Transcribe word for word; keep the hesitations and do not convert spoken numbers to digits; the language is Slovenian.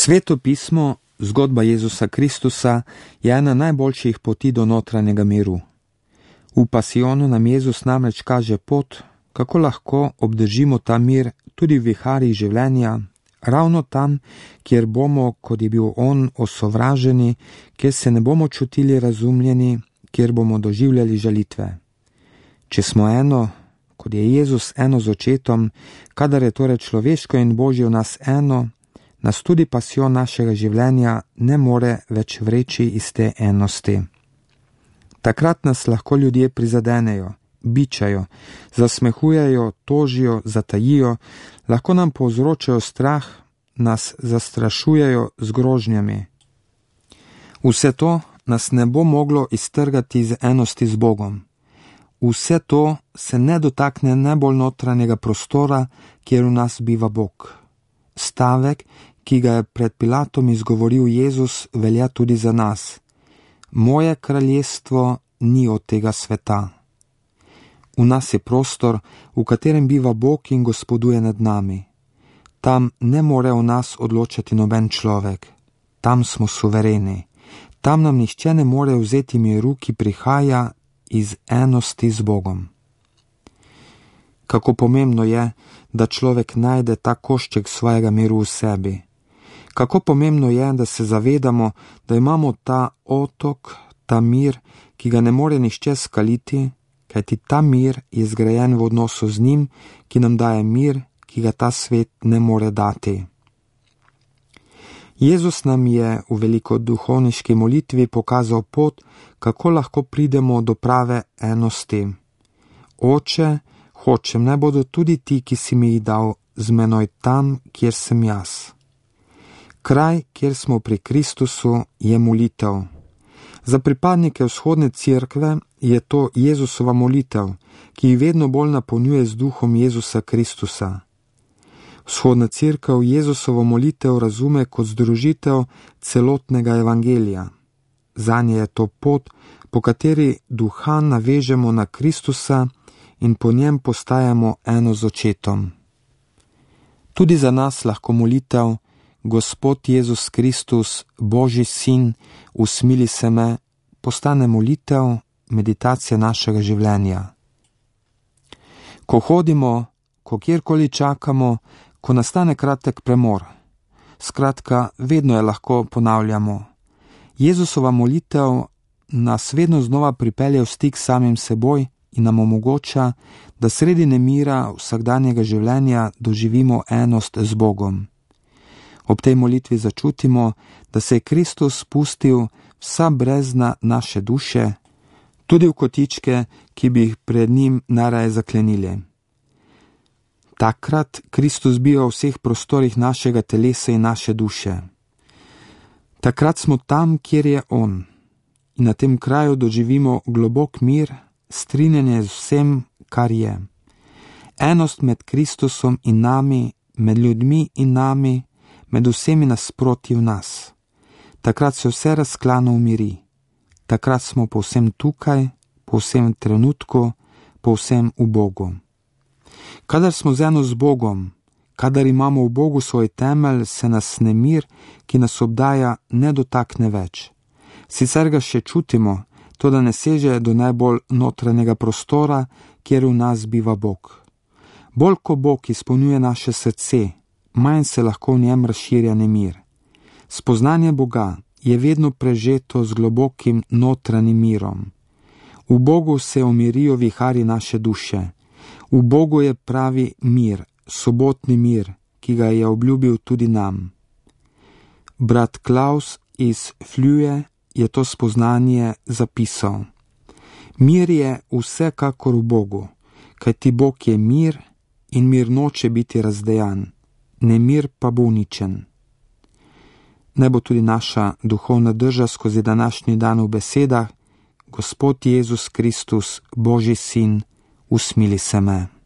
Sveto pismo, zgodba Jezusa Kristusa, je ena najboljših poti do notranjega miru. V pasijonu nam Jezus namreč kaže pot, kako lahko obdržimo ta mir tudi v viharjih življenja, ravno tam, kjer bomo, kot je bil on, osovraženi, kjer se ne bomo čutili razumljeni, kjer bomo doživljali žalitve. Če smo eno, kot je Jezus eno z očetom, kadar je torej človeško in Božje v nas eno, nas tudi pasijon našega življenja ne more več vreči iz te enosti. Takrat nas lahko ljudje prizadenejo, bičajo, zasmehujejo, tožijo, zatajijo, lahko nam povzročajo strah, nas zastrašujejo z grožnjami. Vse to nas ne bo moglo iztrgati iz enosti z Bogom. Vse to se ne dotakne najbolj notranjega prostora, kjer v nas biva Bog. Stavek, ki ga je pred Pilatom izgovoril Jezus, velja tudi za nas. Moje kraljestvo ni od tega sveta. V nas je prostor, v katerem biva Bog in gospoduje nad nami. Tam ne more o nas odločati noben človek. Tam smo suvereni. Tam nam nihče ne more vzeti miru, ki prihaja iz enosti z Bogom. Kako pomembno je, da človek najde ta košček svojega miru v sebi. Kako pomembno je, da se zavedamo, da imamo ta otok, ta mir, ki ga ne more nihče skaliti, kajti ta mir je zgrajen v odnosu z njim, ki nam daje mir, ki ga ta svet ne more dati. Jezus nam je v velikoduhovniški molitvi pokazal pot, kako lahko pridemo do prave enosti. Oče, hočem, naj bodo tudi ti, ki si mi jih dal, z menoj tam, kjer sem jaz. Kraj, kjer smo pri Kristusu, je molitev. Za pripadnike vzhodne cerkve je to Jezusova molitev, ki jih vedno bolj napolnjuje z duhom Jezusa Kristusa. Vzhodna cerkev Jezusovo molitev razume kot združitev celotnega evangelija. Zanje je to pot, po kateri duha navežemo na Kristusa in po njem postajamo eno z očetom. Tudi za nas lahko molitev Gospod Jezus Kristus, Božji sin, usmili se me, postane molitev, meditacija našega življenja. Ko hodimo, ko kjerkoli čakamo, ko nastane kratek premor, skratka, vedno je lahko ponavljamo. Jezusova molitev nas vedno znova pripelje v stik s samim seboj in nam omogoča, da sredi nemira vsakdanjega življenja doživimo enost z Bogom. Ob tej molitvi začutimo, da se je Kristus spustil vsa brezna naše duše, tudi v kotičke, ki bi jih pred njim najraje zaklenili. Takrat Kristus biva v vseh prostorih našega telesa in naše duše. Takrat smo tam, kjer je on, in na tem kraju doživimo globok mir, strinjanje z vsem, kar je. Enost med Kristusom in nami, med ljudmi in nami, med vsemi nasproti v nas. Takrat se vse razklano umiri. Takrat smo povsem tukaj, povsem v trenutku, povsem v Bogu. Kadar smo z eno z Bogom, kadar imamo v Bogu svoj temelj, se nas nemir, ki nas obdaja, ne dotakne več. Sicer ga še čutimo, to da ne seže do najbolj notranjega prostora, kjer v nas biva Bog. Bolj ko Bog izpolnjuje naše srce, manj se lahko v njem razširja nemir. Spoznanje Boga je vedno prežeto z globokim notranjim mirom. V Bogu se umirijo viharji naše duše. V Bogu je pravi mir, sobotni mir, ki ga je obljubil tudi nam. Brat Klaus iz Fluje je to spoznanje zapisal. Mir je vsekakor v Bogu, kajti Bog je mir in mir noče biti razdejan. Nemir pa bo uničen. Naj bo tudi naša duhovna drža skozi današnji dan v besedah: Gospod Jezus Kristus, Božji sin, usmili se me.